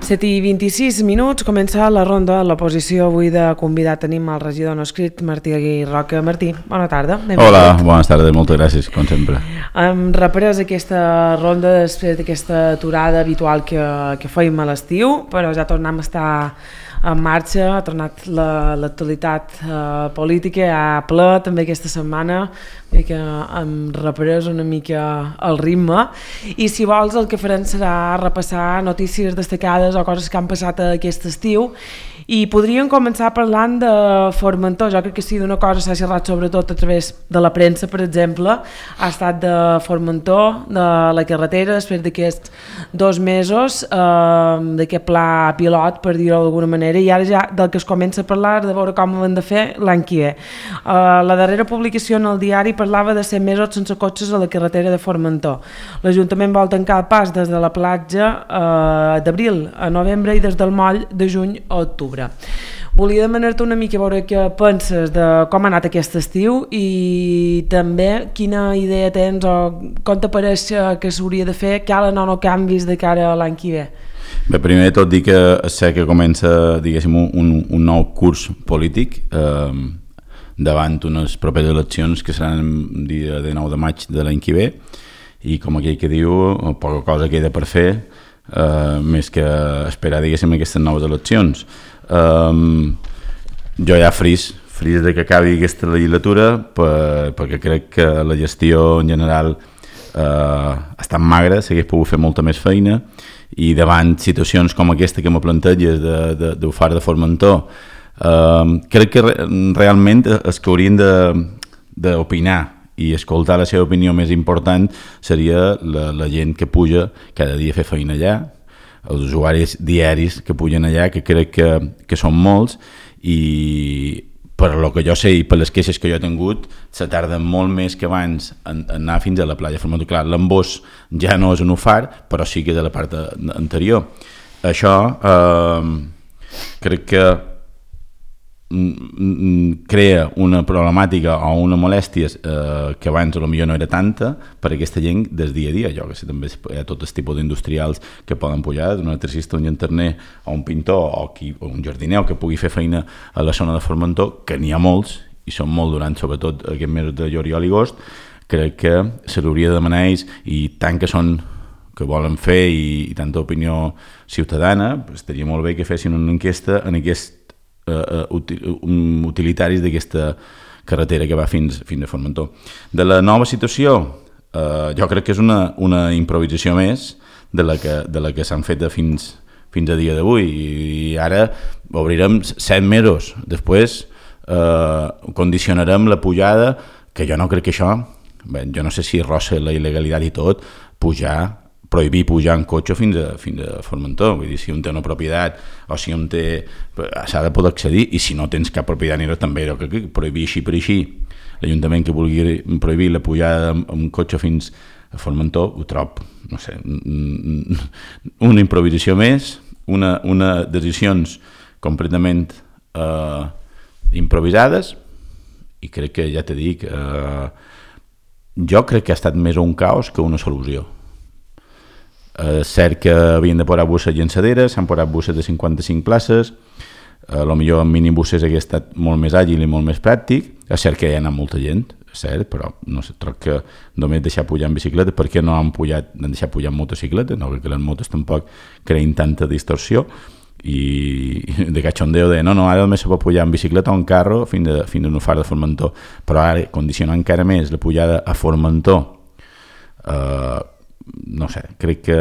7:26, comença la ronda de l'oposició. Avui de convidat tenim el regidor no escrit, Martí Roca. Martí, bona tarda. Hola, bones tardes, moltes gràcies, com sempre. Hem reprès aquesta ronda després d'aquesta aturada habitual que fèiem a l'estiu, però ja tornem a estar en marxa, ha tornat l'actualitat política a ple també aquesta setmana, que hem reprès una mica el ritme, i si vols el que farem serà repassar notícies destacades o coses que han passat aquest estiu, i podríem començar parlant de Formentor. Jo crec que sí, d'una cosa s'ha xerrat sobretot a través de la premsa, per exemple, ha estat de Formentor, de la carretera, després d'aquests 2 mesos d'aquest pla pilot, per dir-ho d'alguna manera, i ara ja del que es comença a parlar de veure com ho hem de fer l'any que ve. La darrera publicació en el diari parlava de 100 mesos sense cotxes a la carretera de Formentor. L'Ajuntament vol tancar el pas des de la platja d'abril a novembre i des del moll de juny a octubre. Volia demanar-te una mica a veure què penses de com ha anat aquest estiu i també quina idea tens o com t'apareix que s'hauria de fer, calen o no canvis de cara a l'any que ve. Bé, primer de tot dir que sé que comença, diguéssim, un nou curs polític davant unes properes eleccions que seran el dia 9 de maig de l'any que ve, i com aquell que diu, poca cosa queda per fer més que esperar, diguéssim, aquestes noves eleccions. Jo ja fris de que acabi aquesta legislatura perquè crec que la gestió en general ha estat magra, s'hagués pogut fer molta més feina, i davant situacions com aquesta que me planteges d'Ufar de Formentor, crec que realment els que haurien d'opinar i escoltar la seva opinió més important seria la gent que puja cada dia a fer feina allà, els usuaris diaris que pugen allà, que crec que són molts, i per lo que jo sé i per les queixes que jo he tingut, se tarda molt més que abans en anar fins a la platja Formentor. Clar, l'embós ja no és un Ufar, però sí que és de la part anterior. Això crec que crea una problemàtica o una molèstia que abans potser no era tanta per aquesta gent del dia a dia. Jo que sé, també hi ha tot el tipus d'industrials que poden pujar, un electricista, un llanterner o un pintor o un jardiner que pugui fer feina a la zona de Formentor, que n'hi ha molts i són molt durant sobretot aquests mesos de juliol i agost. Crec que se l'hauria de demanar ells, i tant que són que volen fer i tanta opinió ciutadana, estaria molt bé que fessin una enquesta en aquest utilitaris d'aquesta carretera que va fins a Formentor. De la nova situació, jo crec que és una improvisació més de la que s'han fet fins a dia d'avui, i ara obrirem 7 mesos després, condicionarem la pujada, que jo no crec que això, bé, jo no sé si rossa la il·legalitat i tot, prohibir pujar en cotxe fins a Formentor. Vull dir, si un té una propietat o si un té, s'ha de poder accedir, i si no tens cap propietat ni res, també que prohibir així per així l'Ajuntament que vulgui prohibir la pujada amb cotxe fins a Formentor, ho trob, no sé, una improvisació més, una decisions completament improvisades, i crec que, ja t'he dit, jo crec que ha estat més un caos que una solució. Cert que havien de posar busses llançaderes, s'han posat busses de 55 places, potser en minibuses hauria estat molt més àgil i molt més pràctic. És cert que hi ha anat molta gent, cert, però no sé, troc que només deixar pujar en bicicleta, perquè no han deixat pujar en motocicleta, no, perquè les motos tampoc creen tanta distorsió, i de cachondeo de no, ara només se pot pujar en bicicleta o en carro fins a un Ufar de Formentor, però ara condicionar encara més la pujada a Formentor, no sé, crec que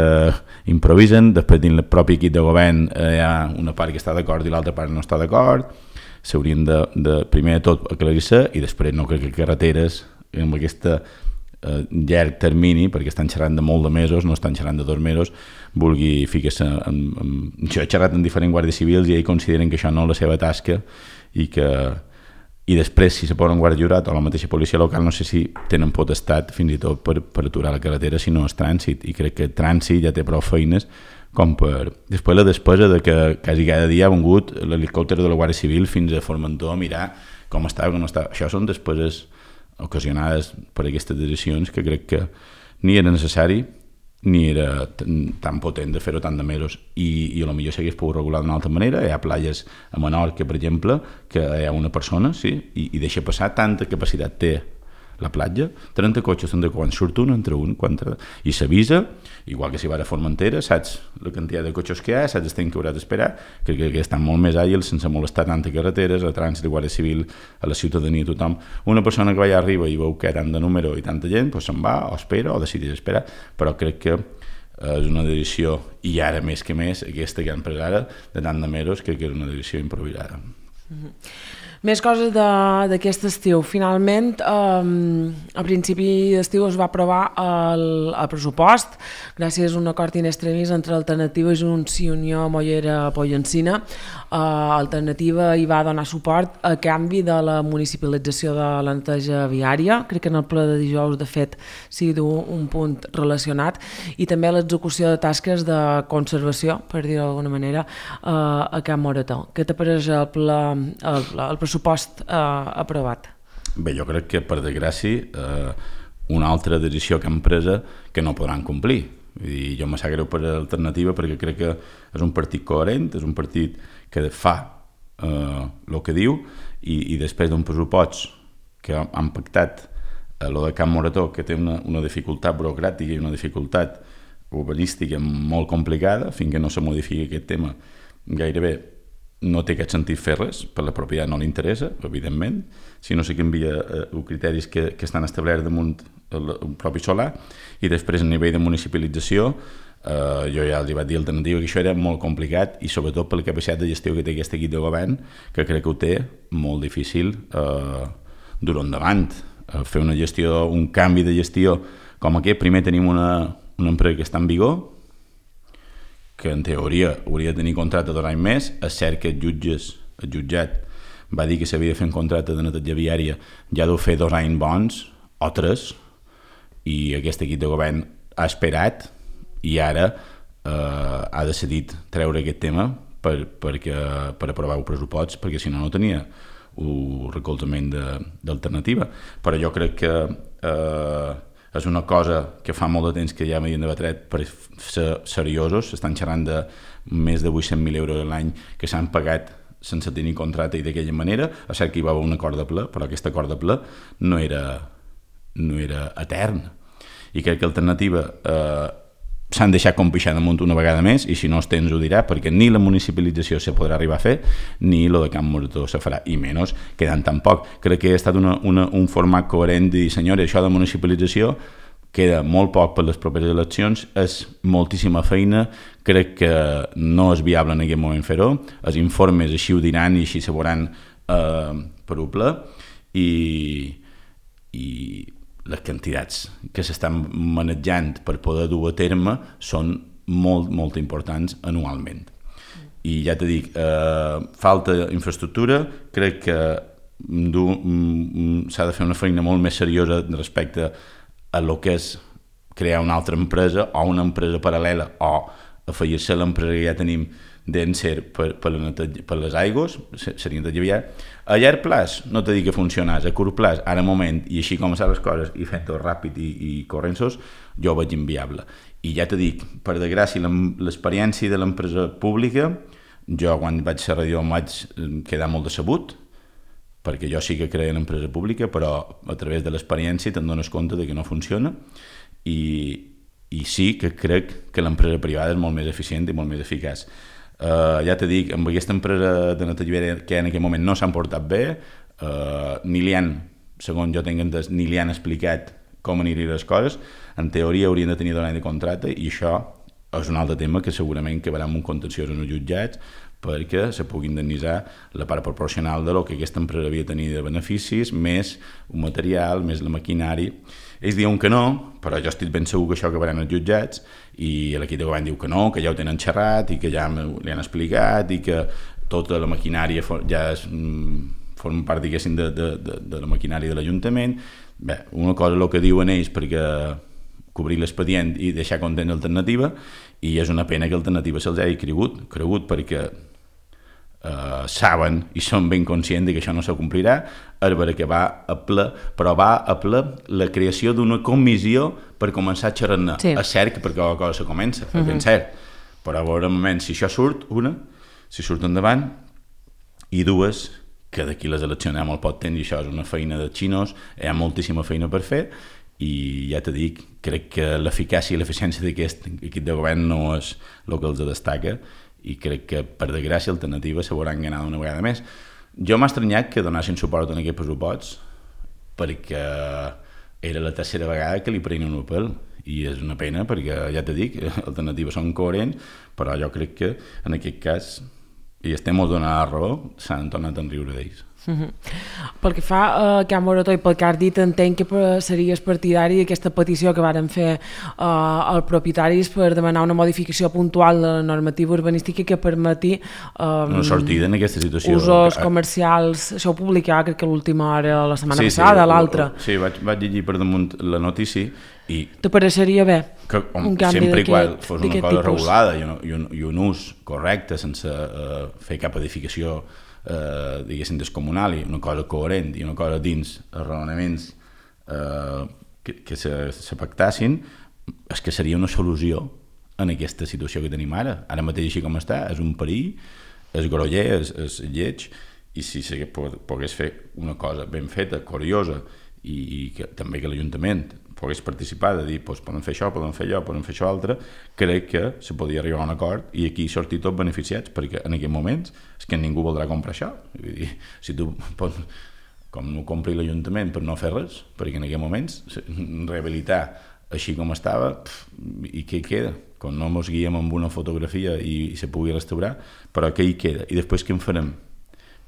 improvisen. Després dins el propi equip de govern hi ha una part que està d'acord i l'altra part no està d'acord. S'haurien de primer de tot aclarir-se, i després no crec que carreteres amb aquesta llarg termini, perquè estan xerrant de molt de mesos, no estan xerrant de 2 mesos, vulgui ficar-se jo he xerrat amb diferents guàrdies civils i ells consideren que això no és la seva tasca, i després, si se posen guàrdia jurat o la mateixa policia local, no sé si tenen potestat fins i tot per aturar la carretera si no és trànsit, i crec que trànsit ja té prou feines com per... Després la despesa de que quasi cada dia ha vingut l'helicòpter de la Guàrdia Civil fins a Formentor a mirar com estava, com no estava. Això són despeses ocasionades per aquestes decisions que crec que ni era necessari ni era tan potent de fer-ho tant de mesos i a lo millor s'hagués pogut regular d'una altra manera. Hi ha platges a Menorca, per exemple, que hi ha una persona, sí, i deixa passar, tanta capacitat té la platja, 30 cotxes, quan surt un, entra un, i s'avisa, igual que si va a Formentera, saps la quantitat de cotxes que hi ha, saps el temps que hauràs d'esperar, que estan molt més àgils sense molestar tantes carreteres, a trànsit, Guàrdia Civil, a la ciutadania, tothom. Una persona que va allà arriba i veu que hi ha tant de número i tanta gent, doncs se'n va, o espera, o decideix esperar, però crec que és una decisió, i ara més que més, aquesta que han pres ara, de tant de mesos, crec que és una decisió improvisada. Més coses d'aquest estiu. Finalment, a principi d'estiu es va aprovar el pressupost gràcies a un acord in extremis entre Alternativa, Junts i Unió Mollera Pollencina. Alternativa hi va donar suport a canvi de la municipalització de la neteja viària. Crec que en el ple de dijous, de fet, sigui un punt relacionat, i també l'execució de tasques de conservació, per dir-ho d'alguna manera, a Can Morató. Què t'apareix el pressupost aprovat? Bé, jo crec que, per desgràcia, una altra decisió que han pres que no podran complir. I jo me sap greu per Alternativa perquè crec que és un partit coherent, és un partit que fa el que diu i després d'un pressupost que han pactat el de Can Morató, que té una dificultat burocràtica i una dificultat urbanística molt complicada, fins que no se modifiqui aquest tema gairebé no té aquest sentit fer res, per la propietat no li interessa, evidentment, si no se canvia els criteris que estan establerts damunt el propi solar, i després a nivell de municipalització jo ja els vaig dir Alternativa que això era molt complicat i sobretot per la capacitat de gestió que té aquest equip de govern, que crec que ho té molt difícil dur endavant. Fer una gestió, un canvi de gestió com aquest, primer tenim una empresa que està en vigor, que en teoria hauria de tenir contracte d'1 any més. És cert que el jutjat va dir que s'havia de fer un contracte de neteja viària, ja deu fer 2 anys bons o 3, i aquest equip de govern ha esperat i ara ha decidit treure aquest tema per aprovar el pressupost, perquè si no tenia el recolzament d'Alternativa. Però jo crec que és una cosa que fa molt de temps que ja m'havien debatret per ser seriosos. S'estan xerrant de més de 800.000 euros a l'any que s'han pagat sense tenir contracte i d'aquella manera. És cert que hi va haver un acord de ple, però aquest acord de ple no era etern. I crec que Alternativa s'han deixat compixar damunt una vegada més, i si no els tens ho dirà, perquè ni la municipalització se podrà arribar a fer, ni lo de Can Morató se farà, i menys quedant tan poc. Crec que ha estat un format coherent de dir, senyores, això de municipalització queda molt poc per les properes eleccions, és moltíssima feina, crec que no és viable en aquest moment fer-ho, els informes així ho diran i així se veuran per un ple, i les quantitats que s'estan manejant per poder dur a terme són molt importants anualment. I ja t'he dit, falta infraestructura, crec que s'ha de fer una feina molt més seriosa respecte a lo que és crear una altra empresa o una empresa paral·lela o afegir-se a l'empresa que ja tenim d'Encer per les aigües, seria neteja viària. A llarg plaç no t'he dit que funcionés, a curt plaç, ara moment, i així com estan les coses, i fent-ho ràpid i corrents, jo ho veig inviable. I ja t'he dit, per desgràcia, l'experiència de l'empresa pública, jo quan vaig ser regidor em vaig quedar molt decebut, perquè jo sí que creia en l'empresa pública, però a través de l'experiència te'n dones compte de que no funciona, i sí que crec que l'empresa privada és molt més eficient i molt més eficaç. Ja t'he dit, amb aquesta empresa de neteja viària que en aquest moment no s'han portat bé, ni li han, segons jo tinc entès, ni li han explicat com anirien les coses. En teoria haurien de tenir 2 anys de contracte, i això és un altre tema que segurament quedarà en un contenciós en els jutjats, perquè se pugui indemnitzar la part proporcional de lo que aquesta empresa havia de tenir de beneficis, més un material, més la maquinari. Ells diuen que no, però jo estic ben segur que això acabarà en els jutjats, i l'equip de govern diu que no, que ja ho tenen xerrat i que ja li han explicat i que tota la maquinària ja forma part, diguéssim, de la maquinària de l'Ajuntament. Bé, una cosa és el que diuen ells perquè cobrir l'expedient i deixar content l'Alternativa, i és una pena que l'Alternativa se'ls hagi cregut perquè saben i són ben conscients que això no s'acomplirà, és vera que va a ple, però va a ple la creació d'una comissió per començar a xerrar-ne. Sí. És cert que per cada cosa se comença, és ben cert, però a veure un moment, si això surt, si surt endavant, i dues, que d'aquí les eleccions hi ha molt poc temps i això és una feina de xinos, hi ha moltíssima feina per fer, i ja t'he dit, crec que l'eficàcia i l'eficiència d'aquest equip de govern no és el que els destaca, i crec que, per desgràcia, alternatives s'hauran ganat una vegada més. Jo m'ha estranyat que donassin suport a aquest pressupost, perquè era la tercera vegada que li prenien un pèl, i és una pena, perquè, ja t'he dit, alternatives són coherents, però jo crec que, en aquest cas, i estem molt donant la raó, s'han tornat a riure d'ells. Pel que fa a Can Morató i pel que has dit, entenc que series partidari d'aquesta petició que varen fer els propietaris per demanar una modificació puntual de la normativa urbanística que permeti una sortida en aquesta situació. Usos comercials. Això ho publicava crec que l'última hora, la setmana passada, l'altra. Sí, vaig llegir per damunt la notícia i... T'apareixeria bé un canvi sempre igual fos una cosa regulada i un ús correcte sense fer cap edificació diguéssim descomunal, i una cosa coherent i una cosa dins els raonaments que se pactassin, és que seria una solució en aquesta situació que tenim ara mateix així com està, és un perill, és groller, és lleig, i si se pogués fer una cosa ben feta, curiosa, i que, també que l'Ajuntament pogués participar, de dir, doncs, poden fer això, poden fer allò, poden fer això altre, crec que se podia arribar a un acord i aquí sortir tots beneficiats, perquè en aquests moments és que ningú voldrà comprar això. Vull dir, si tu pots, com no compri l'Ajuntament per no fer res, perquè en aquests moments rehabilitar així com estava, i què hi queda? Quan no ens guiem amb una fotografia i se pugui restaurar, però què hi queda? I després què en farem?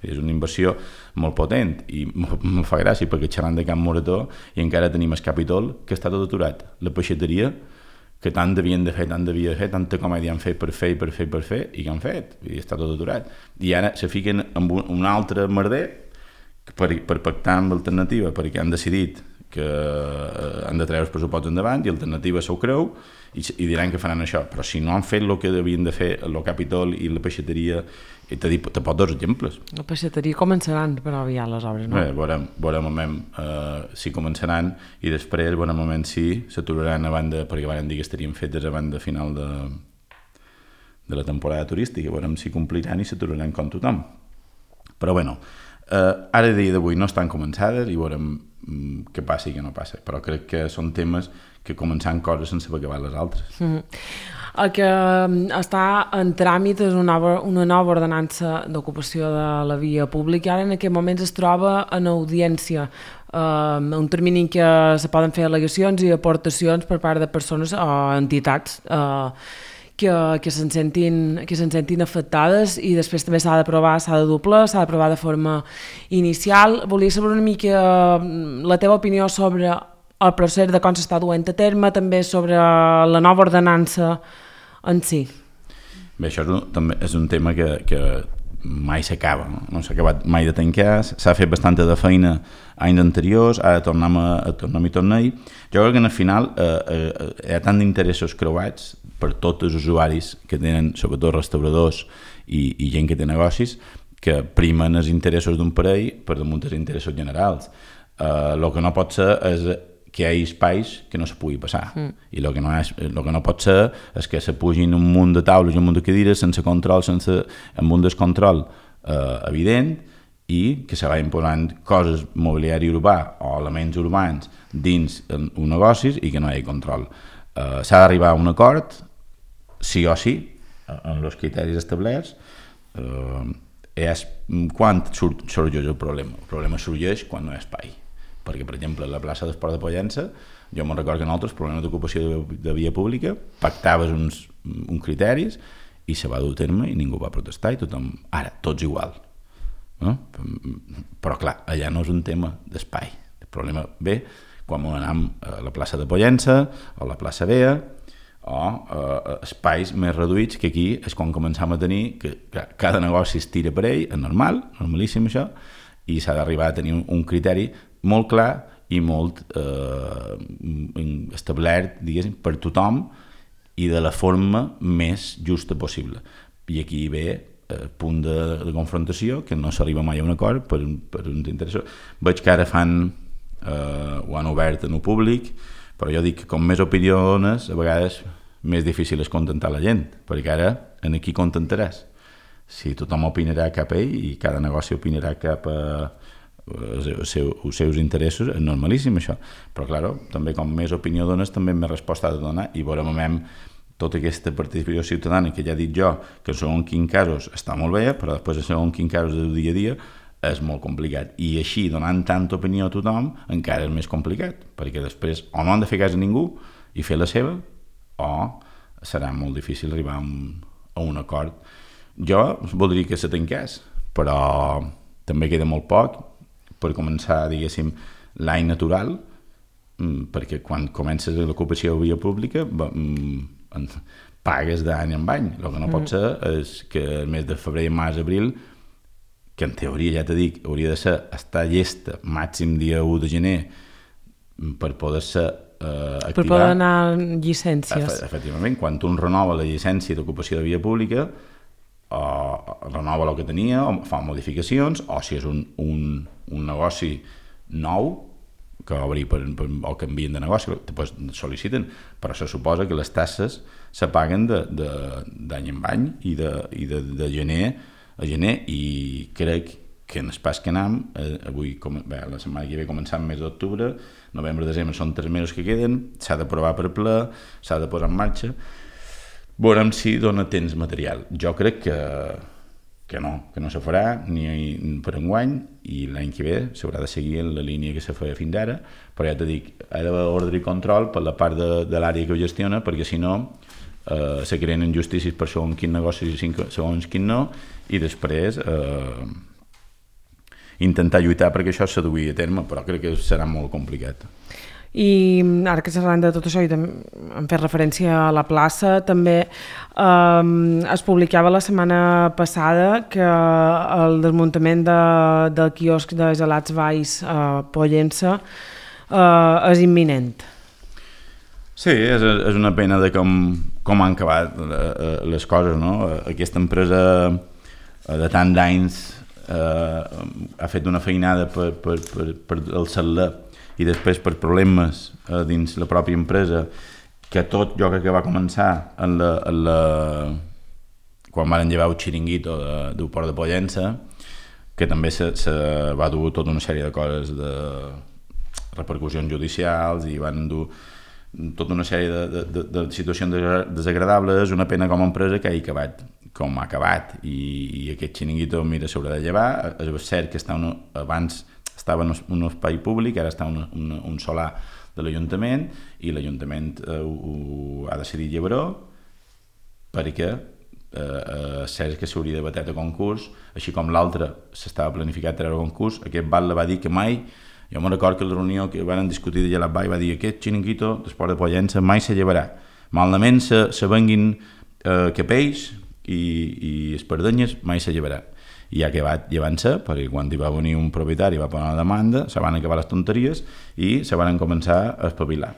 És una inversió molt potent i em fa gràcia perquè xerrant de Can Morató i encara tenim el Capitol que està tot aturat. La peixateria que tant devien de fer, tanta comèdia han fet per fer i que han fet, i està tot aturat. I ara se fiquen amb un altre merder per pactar amb l'alternativa, perquè han decidit que han de treure els pressupostos endavant i l'alternativa s'ho creu i diran que faran això, però si no han fet el que devien de fer el Capitol i la peixateria, i te pot dos exemples. La peixateria començaran per aviar les obres, no? Veurem si començaran i després veurem si s'aturaran a banda, perquè van dir que estarien fetes a banda final de la temporada turística, veurem si compliran i s'aturaran com tothom. Però bueno, ara dia d'avui no estan començades i veurem què passa i què no passa, però crec que són temes que començant coses sense acabar les altres. El que està en tràmit és una nova ordenança d'ocupació de la via pública i ara en aquest moments es troba en audiència, un termini en què se poden fer al·legacions i aportacions per part de persones o entitats que se'n sentin afectades, i després també s'ha d'aprovar, s'ha de doblar, s'ha d'aprovar de forma inicial. Volia saber una mica la teva opinió sobre el procés de com s'està duent a terme, també sobre la nova ordenança en si. Bé, això també és un tema que mai s'acaba, no s'ha acabat mai de tancar, s'ha fet bastanta de feina anys anteriors, ara tornem-hi. Jo crec que al final hi ha tant d'interessos creuats per tots els usuaris que tenen, sobretot restauradors i gent que té negocis, que primen els interessos d'un parell per damunt dels interessos generals. El que no pot ser és que hi hagi espais que no se pugui passar. I el que no pot ser és que se pugin un munt de taules i un munt de cadires sense control, amb un descontrol evident, i que se vagin posant coses mobiliari urbà o elements urbans dins un negoci i que no hi hagi control. S'ha d'arribar a un acord, sí o sí, amb els criteris establerts. Quan sorgeix el problema? El problema sorgeix quan no hi ha espai. Perquè, per exemple, a la plaça d'Esport de Pollença, jo me'n recordo que nosaltres, problemes d'ocupació de via pública, pactaves uns criteris i se va dur a terme i ningú va protestar i tothom, ara, tots igual. No? Però, clar, allà no és un tema d'espai. El problema ve quan anem a la plaça de Pollença o a la plaça Bea o espais més reduïts, que aquí és quan començam a tenir que cada negoci es tira per ell, és normal, normalíssim això, i s'ha d'arribar a tenir un criteri molt clar i molt establert, diguéssim, per tothom i de la forma més justa possible. I aquí ve punt de confrontació, que no s'arriba mai a un acord per uns interessos. Veig que ara ho han obert en el públic, però jo dic que com més opinió dones, a vegades més difícil és contentar la gent, perquè ara en qui contentaràs? Si tothom opinarà cap a ell i cada negoci opinarà cap a els seus interessos, és normalíssim això, però clar, també com més opinió dones també més resposta ha de donar, i veurem tota aquesta participació ciutadana que ja he dit jo, que en segons quins casos està molt bé, però després en segons quins casos del dia a dia és molt complicat, i així donant tanta opinió a tothom encara és més complicat, perquè després o no han de fer cas a ningú i fer la seva, o serà molt difícil arribar a un acord. Jo voldria que se tanqués, però també queda molt poc per començar, diguéssim, l'any natural, perquè quan comences l'ocupació de via pública pagues d'any en any. El que no pot ser és que el mes de febrer, març, abril, que en teoria, ja t'he dit, hauria de ser estar llesta màxim dia 1 de gener per poder-se activar. Per poder anar llicències. Efectivament, quan un renova la llicència d'ocupació de via pública, o renova el que tenia, o fa modificacions, o si és un negoci nou, que obri o canvien de negoci, després sol·liciten, però se suposa que les taxes se paguen d'any en any i de gener a gener, i crec que en el pas que anem, avui, la setmana que ve començant el mes d'octubre, novembre, desembre són 3 mesos que queden, s'ha d'aprovar per ple, s'ha de posar en marxa, veurem si dona temps material. Jo crec que no se farà ni per enguany, i l'any que ve s'haurà de seguir en la línia que se feia fins ara, però ja t'he dit, ha d'haver ordre i control per la part de l'àrea que ho gestiona, perquè si no se creen injustícies per segons quin negoci i segons quin no, i després intentar lluitar perquè això se duia a terme, però crec que serà molt complicat. I ara que parlant de tot això i hem fet referència a la plaça, també es publicava la setmana passada que el desmuntament del quiosc de gelats Valls a Pollença és imminent. Sí, és una pena de com han acabat les coses, no? Aquesta empresa de tant d'anys ha fet una feinada per el celler, i després per problemes dins la pròpia empresa, que tot jo crec que va començar quan van llevar el xiringuito del Port de Pollença, que també se va dur tota una sèrie de coses, de repercussions judicials, i van dur tota una sèrie de situacions desagradables. És una pena com a empresa que hagi acabat com ha acabat, i aquest xiringuito, mira, s'haurà de llevar. És cert que abans estava en un espai públic, ara està un solar de l'Ajuntament, i l'Ajuntament ho ha decidit llevar-ho, perquè és cert que s'hauria de batet a concurs, així com l'altre s'estava planificat treure a concurs. Aquest batlle va dir que mai, jo me'n recordo que a la reunió que van discutir de Gelat Vall va dir: aquest xiringuito d'Esport de Pollença mai se llevarà, malament se venguin capells i espardenyes, mai se llevarà. I ha acabat llevant-se, perquè quan hi va venir un propietari va posar una demanda, se van acabar les tonteries i se van començar a espavilar.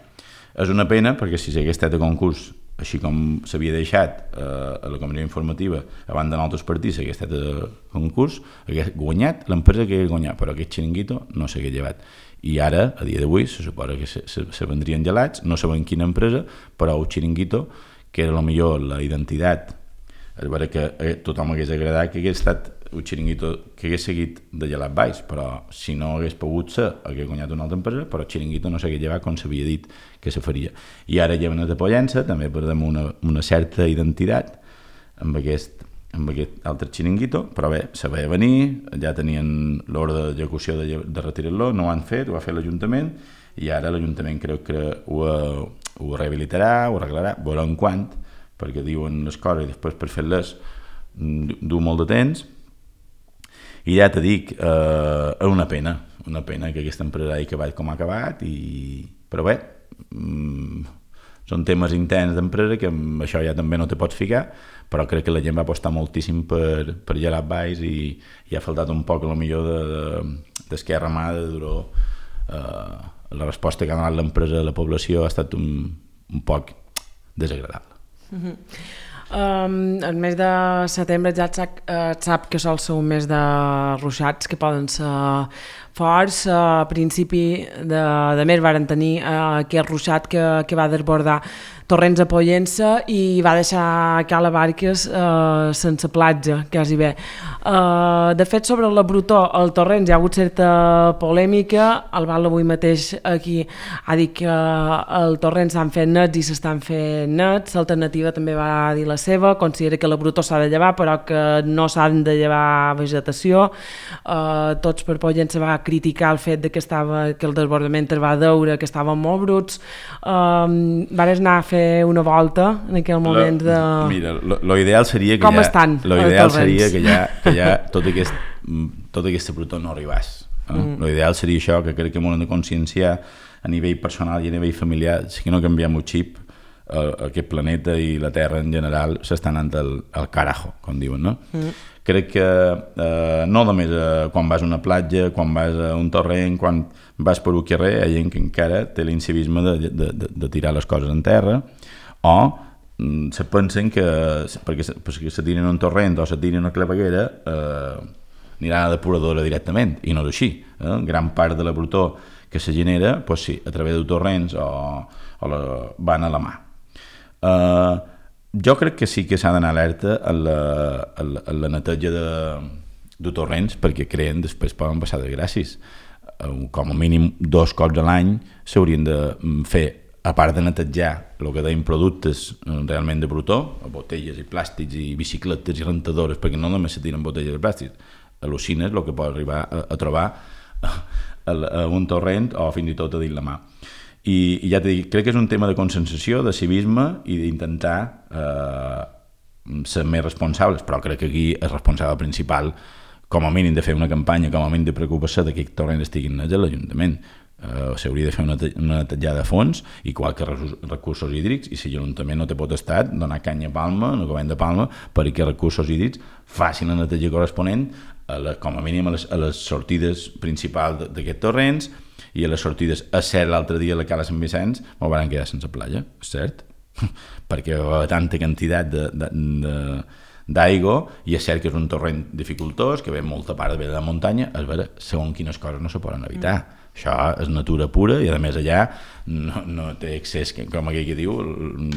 És una pena, perquè si s'hagués estat a concurs, així com s'havia deixat a la comissió informativa abans d'anar altres partits, s'hagués estat a concurs, hagués guanyat l'empresa que hagués guanyat, però aquest xiringuito no s'hagués llevat. I ara, a dia d'avui, se suposa que se vendrien gelats, no sabem quina empresa, però el xiringuito, que era millor la identitat, és vera que a tothom hagués agradat que hagués estat un xiringuito que hagués seguit de Gelat Valls, però si no hagués pogut ser, hagués guanyat una altra empresa, però el xiringuito no s'hagués llevat com s'havia dit que se faria. I ara lleven de Pollença, també perdem una certa identitat amb aquest altre xiringuito, però bé, se veia venir, ja tenien l'ordre d'execució de retirar-lo, no ho han fet, ho ha fet l'Ajuntament, i ara l'Ajuntament creu que ho rehabilitarà, ho arreglarà, veurem quant, perquè diuen les coses i després per fer-les du molt de temps. I ja t'he dit, és una pena que aquesta empresa hagi acabat com ha acabat, però bé, són temes interns d'empresa que amb això ja també no te pots ficar, però crec que la gent va apostar moltíssim per Gelat Valls i ha faltat un poc d'esquerra mà de duró. La resposta que ha donat l'empresa a la població ha estat un poc desagradable. El mes de setembre ja et sap que sol ser un mes de ruixats que poden ser forts. A principi de mes varen tenir aquest ruixat que va desbordar Torrents a Pollença i va deixar Cala Barques sense platja, quasi bé. De fet, sobre la Brutó, el Torrents hi ha hagut certa polèmica. El Val avui mateix aquí ha dit que el Torrents s'han fet nets i s'estan fent nets. L'Alternativa també va dir la seva, considera que la Brutó s'ha de llevar però que no s'han de llevar vegetació. Tots per Pollença va criticar el fet de que el desbordament es va deure, que estaven molt bruts. Vares anar a fer una volta en aquell moment de... Mira, l'ideal seria que com estan l'ideal seria que ja tota aquesta Brutó no arribés. L'ideal seria això, que crec que m'ho hem de conscienciar a nivell personal i a nivell familiar. Si no canviem el xip, aquest planeta i la Terra en general s'està anant al carajo, com diuen, no? Crec que no només quan vas a una platja, quan vas a un torrent, quan vas per un carrer, hi ha gent que encara té l'incivisme de tirar les coses en terra, o se pensen que perquè se tiren un torrent o se tiren una claveguera aniran a la depuradora directament, i no és així. Gran part de la Brutó que se genera, doncs sí, a través de torrents van a la mà. Jo crec que sí que s'ha d'anar alerta a la neteja de torrents, perquè creen després poden passar desgràcies. Com a mínim 2 cops a l'any s'haurien de fer, a part de netejar el que deien productes realment de Brutó, botelles i plàstics i bicicletes i rentadores, perquè no només se tiren botelles i plàstics, al·lucines el que pot arribar a trobar a un torrent o fins i tot a dins la mà. I ja t'he dit, crec que és un tema de consensació, de civisme i d'intentar ser més responsables, però crec que aquí el responsable principal, com a mínim de fer una campanya, com a mínim de preocupar-se que aquest torrent estigui nets a l'Ajuntament. S'hauria de fer una netejada a fons i qualque recursos hídrics, i si l'Ajuntament no té potestat, donar canya a Palma, no govern de Palma, perquè recursos hídrics facin la neteja corresponent com a mínim a les sortides principals d'aquests torrents, i a les sortides, és cert, l'altre dia a la Cala Sant Vicenç m'ho van quedar sense platja, és cert, perquè hi va tanta quantitat d'aigua, i és cert que és un torrent dificultós, que ve molta part de la muntanya, és vera, segons quines coses no se poden evitar. Això és natura pura i a més allà no té accés, com aquell que diu,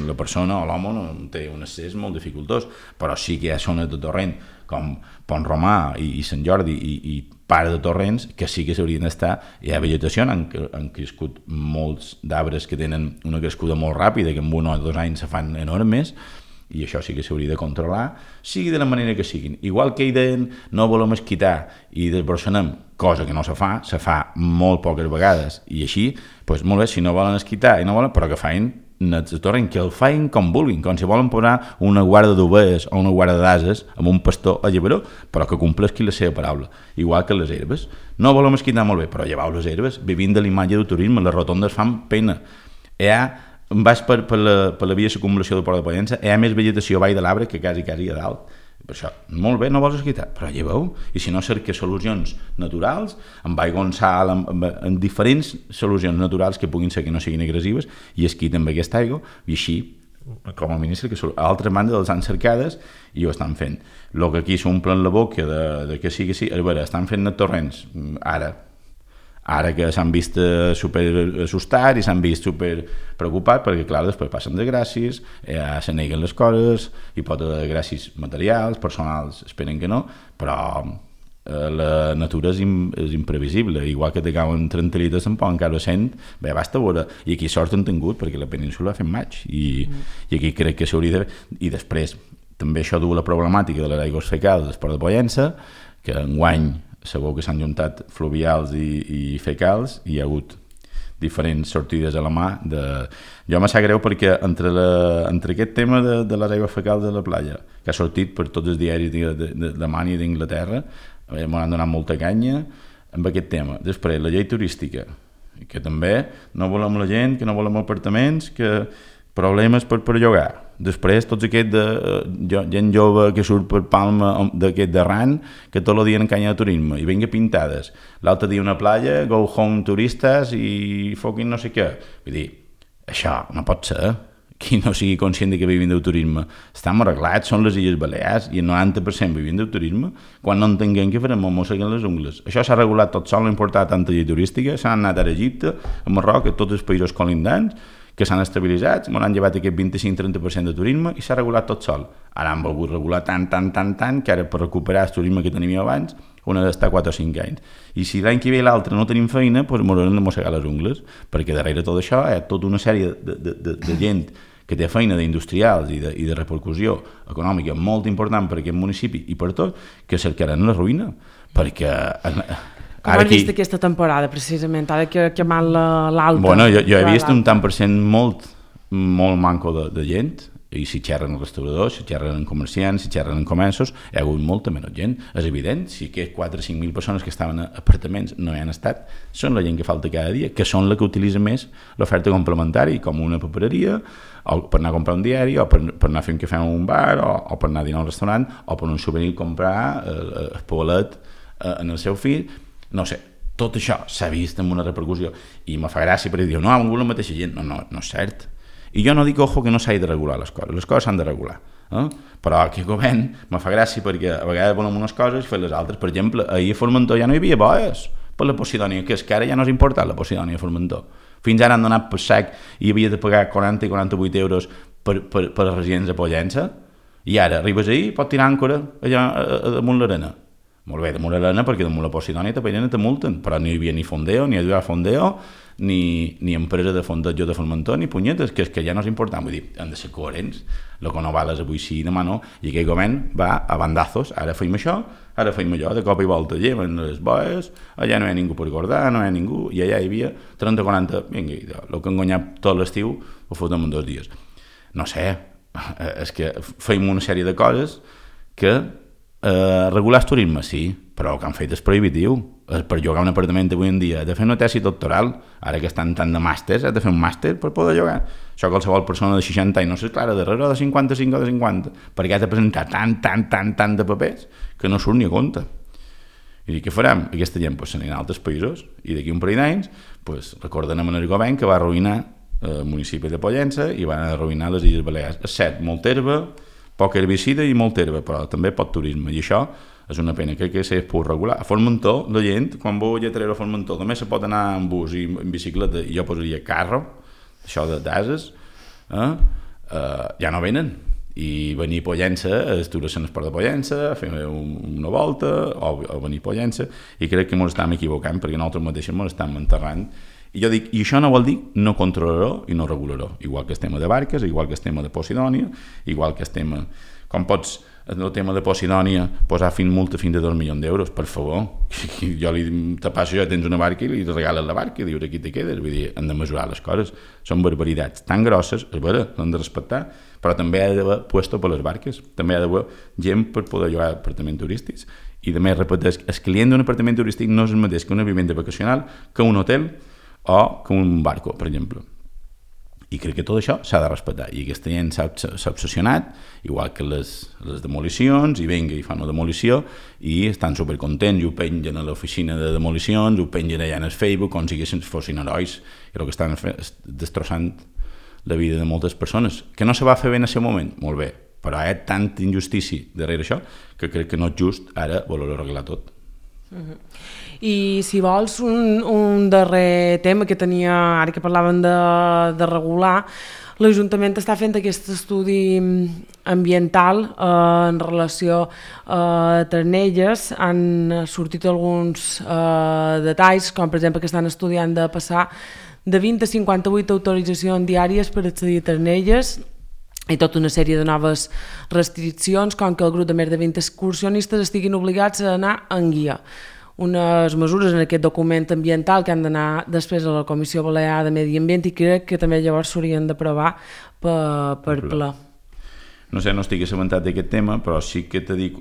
la persona o l'home no té un accés molt dificultós, però sí que hi ha zones de torrent com Pont Romà i Sant Jordi i part de torrents que sí que s'haurien d'estar. Hi ha vegetació, han crescut molts d'arbres que tenen una crescuda molt ràpida, que en 1 o 2 anys se fan enormes, i això sí que s'hauria de controlar, sigui de la manera que siguin. Igual que hi deien no volem esquitar i desborsanem, cosa que no se fa molt poques vegades, i així, doncs molt bé, si no volen esquitar i no volen, però que facin nets de torrent, que el facin com vulguin, com si volen posar una guarda d'ovelles o una guarda d'ases amb un pastor a llevaró, però que complesqui la seva paraula, igual que les herbes. No volem esquitar molt bé, però llevau les herbes, vivint de l'imatge del turisme, les rotondes fan pena. Vas per la via d'acumulació del Port de Pollença, hi ha més vegetació baix de l'arbre que quasi a dalt. Per això, molt bé, no vols esquitar, però lleveu, i si no cerca solucions naturals, amb aigua en sal, amb diferents solucions naturals que puguin ser que no siguin agressives, i esquiten amb aquesta aigua, i així, com a mínim, a l'altra banda les han cercades i ho estan fent. El que aquí s'omplen la boca de que sí, a veure, estan fent net torrents, ara que s'han vist super assustats i s'han vist super preocupats, perquè clar, després passen desgràcies, se neguen les coses, hi pot haver desgràcies materials, personals, esperen que no, però la natura és imprevisible, igual que te cauen 30 litres en poden caure 100, bé, basta veure, i aquí sort han tingut perquè la península ha fet maig, i aquí crec que s'hauria de... I després, també això du la problemàtica de les aigües fecals del Port de Pollença, que enguany segur que s'han juntat fluvials i fecals, i hi ha hagut diferents sortides a la mà. Jo me sap greu perquè entre aquest tema de les aigües fecals de la platja, que ha sortit per tots els diaris d'Alemanya i d'Inglaterra, m'han donat molta canya amb aquest tema. Després, la llei turística, que també no volem la gent, que no volem apartaments, que problemes per llogar. Després, tots aquests gent jove que surt per Palma d'aquest d'arran, que tot el dia en canya de turisme, i venga pintades. L'altre dia una playa, go home turistes i fucking no sé què. Vull dir, això no pot ser. qui no sigui conscient que vivim del turisme, estem arreglats, són les Illes Balears, i el 90% vivim del turisme, quan no entenguem què farem, mosseguem les ungles. Això s'ha regulat tot sol, no importa tanta llei turística, s'han anat a Egipte, a Marroc, a tots els països colindants, que s'han estabilitzat, m'han llevat aquest 25-30% de turisme i s'ha regulat tot sol. Ara han volgut regular tant, que ara per recuperar el turisme que teníem abans on ha d'estar 4 o 5 anys. I si l'any que ve i l'altre no tenim feina, doncs m'haurem de mossegar les ungles, perquè darrere tot això hi ha tota una sèrie de gent que té feina d'industrials i de repercussió econòmica molt important per aquest municipi i per tot, que cercaran la ruïna, perquè... Com han vist aquesta temporada, precisament, ara que mal l'alta? Bueno, jo he vist un tant per cent molt manco de gent, i si xerren restauradors, si xerren en comerciants, si xerren en comerços, hi ha hagut molta menys gent. És evident, si aquests 4 o 5.000 persones que estaven a apartaments no hi han estat, són la gent que falta cada dia, que són la que utilitza més l'oferta complementària, com una papereria, o per anar a comprar un diari, o per anar a fer un cafè en un bar, o per anar a dinar a un restaurant, o per un souvenir comprar el polet en el seu fill. No sé, tot això s'ha vist amb una repercussió i me fa gràcia perquè diu, no, ha vingut la mateixa gent. No és cert. I jo no dic, ojo, que no s'hagi de regular les coses s'han de regular. Però aquest govern me fa gràcia perquè a vegades volem unes coses i fer les altres. Per exemple, ahir a Formentor ja no hi havia boies per la Posidònia, que és que ara ja no és important la Posidònia a Formentor. Fins ara han donat per sac i havia de pagar 40 i 48 euros per a residents a Pollença, i ara arribes ahir i pots tirar àncora allà damunt l'arena. Molt bé, damunt l'arena, perquè damunt la Posidònia te multen, però no hi havia ni fondeo, ni Eduard Fondeo, ni empresa de fondejo de Formentor, ni punyetes, que és que ja no és important. Vull dir, han de ser coherents. El que no val és avui sí i demà no. I aquest govern va a bandazos. Ara feim això, ara feim allò, de cop i volta lleven les boes, allà no hi ha ningú per guardar, no hi ha ningú, i allà hi havia 30-40, vinga, el que han guanyat tot l'estiu ho fotem en 2 dies. No sé, és que feim una sèrie de coses que regular el turisme, sí, però el que han fet és prohibitiu. Per llogar un apartament avui en dia has de fer una tesi doctoral, ara que estan tant de màsters, has de fer un màster per poder llogar. Això qualsevol persona de 60 anys no s'esclara darrere de 55 o de 50, perquè has de presentar tant de papers que no surt ni a compte. I què farem? Aquesta gent s'anirà a altres països i d'aquí un parell d'anys recordarem el govern que va arruïnar el municipi de Pollença i va arruïnar les Illes Balears. És cert, molt herba, poc herbicida i molt herba, però també pot turisme, i això és una pena, crec que s'ha pogut regular. A Formentor, la gent, quan vau a Lletrero a Formentor, només se pot anar en bus i en bicicleta, i jo posaria carro, això d'ases, ja no venen. I venir a Pollença, aturar-se en el port de Pollença, fer una volta, o venir a Pollença, i crec que ens estem equivocant, perquè nosaltres mateixos ens estem enterrant. I jo dic, i això no vol dir no controlaró i no regularó, igual que el tema de barques, igual que el tema de Posidònia, igual que el tema... Com pots, el tema de Posidònia, posar multa fins a 2 milions d'euros, per favor. Jo te passo, jo tens una barca i li regales la barca i dius, aquí te quedes. Vull dir, han de mesurar les coses. Són barbaritats tan grosses, és vera, l'han de respectar, però també ha d'haver puesto per les barques, també ha d'haver gent per poder llogar apartaments turístics. I a més, repeteix, el client d'un apartament turístic no és el mateix que una vivenda vacacional, que un hotel o que un barco, per exemple. I crec que tot això s'ha de respectar. I aquesta gent s'ha obsessionat, igual que les demolicions, i vinga, i fan una demolició, i estan supercontents, i ho pengen a l'oficina de demolicions, ho pengen allà en el Facebook, com si fossin herois, i el que estan destrossant la vida de moltes persones. Que no se va fer bé en aquest moment? Molt bé, però hi ha tanta injustícia darrere això que crec que no és just ara voler-ho arreglar tot. I si vols un darrer tema que tenia, ara que parlaven de regular, l'Ajuntament està fent aquest estudi ambiental en relació a Ternelles. Han sortit alguns detalls, com per exemple que estan estudiant de passar de 20 a 58 autoritzacions diàries per accedir a Ternelles i tota una sèrie de noves restriccions, com que el grup de més de 20 excursionistes estiguin obligats a anar en guia. Unes mesures en aquest document ambiental que han d'anar després a la Comissió Balear de Medi Ambient i crec que també llavors s'haurien d'aprovar per ple. No sé, no estic assabentat d'aquest tema, però sí que te dic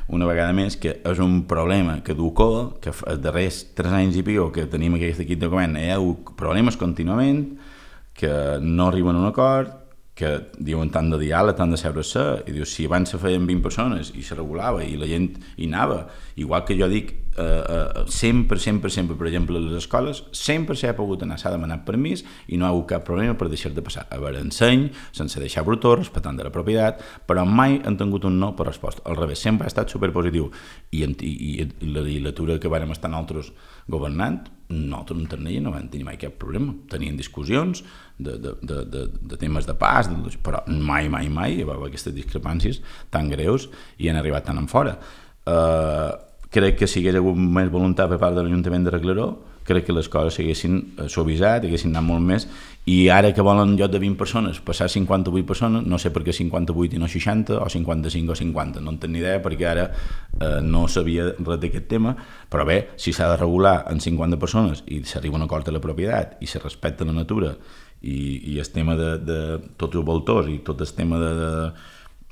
una vegada més que és un problema que duco, que els darrers 3 anys i pico que tenim aquest equip de govern hi ha problemes contínuament, que no arriben a un acord, que diuen tant de diàleg, tant de seure-se, i dius, si abans se feien 20 persones i se regulava i la gent hi anava, igual que jo dic, sempre, per exemple, a les escoles, sempre s'ha pogut anar, s'ha demanat permís i no ha hagut cap problema per deixar de passar. A veure, enseny, sense deixar brutó, respectant de la propietat, però mai han tingut un no per resposta. Al revés, sempre ha estat superpositiu. I la legislatura que vàrem estar nosaltres governant, nosaltres en Ternella no vam tenir mai cap problema. Tenien discussions de temes de pas, però mai hi va haver aquestes discrepàncies tan greus i han arribat tan en fora. Crec que si hi hagués hagut més voluntat per part de l'Ajuntament d'arreglar-ho, crec que les coses s'haguessin suavitzat, haguessin anat molt més, i ara que volen en lloc de 20 persones passar a 58 persones, no sé per què 58 i no 60, o 55 o 50, no en tenc ni idea, perquè ara no sabia res d'aquest tema, però bé, si s'ha de regular en 50 persones i s'arriba a un acord de la propietat i se respecta la natura i el tema de tots els voltors i tot el tema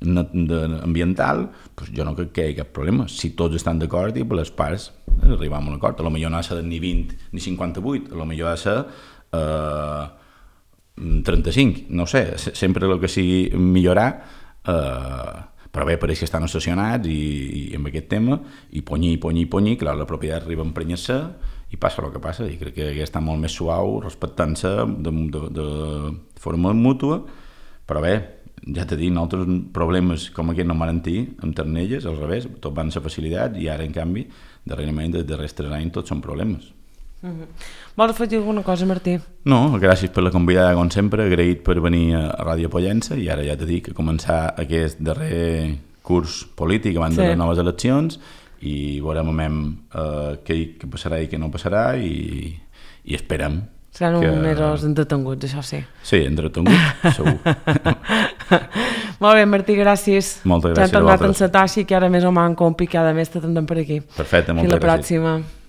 ambiental, doncs jo no crec que hi hagi cap problema. Si tots estan d'acord i per les parts arribam a un acord. A lo millor no ha de ser ni 20 ni 58, a lo millor ha de ser 35, no sé, sempre el que sigui millorar, però bé, pareix que estan obsessionats i amb aquest tema, i ponyi, clar, la propietat arriba a emprenyar-se i passa el que passa, i crec que hauria estat molt més suau, respectant-se de forma mútua, però bé, ja t'he dit, nosaltres problemes com aquest no van tenir amb Ternelles, al revés, tot van ser facilitats, i ara, en canvi, darrerament, dels darrers 3 anys, tots són problemes. Vols afegir alguna cosa, Martí? No, gràcies per la convidada, com sempre, agraït per venir a Ràdio Pollença, i ara ja t'he dit que començar aquest darrer curs polític abans de les noves eleccions, i veurem què passarà i què no passarà, i esperem. Seran uns mesos entretenguts, això sí. Sí, entretenguts, segur. Molt bé, Martí, gràcies. Moltes gràcies a vosaltres. Ja hem tornat a encetar, així que ara més o menys un picada més t'atendem per aquí. Perfecte, moltes gràcies. Fins la pròxima.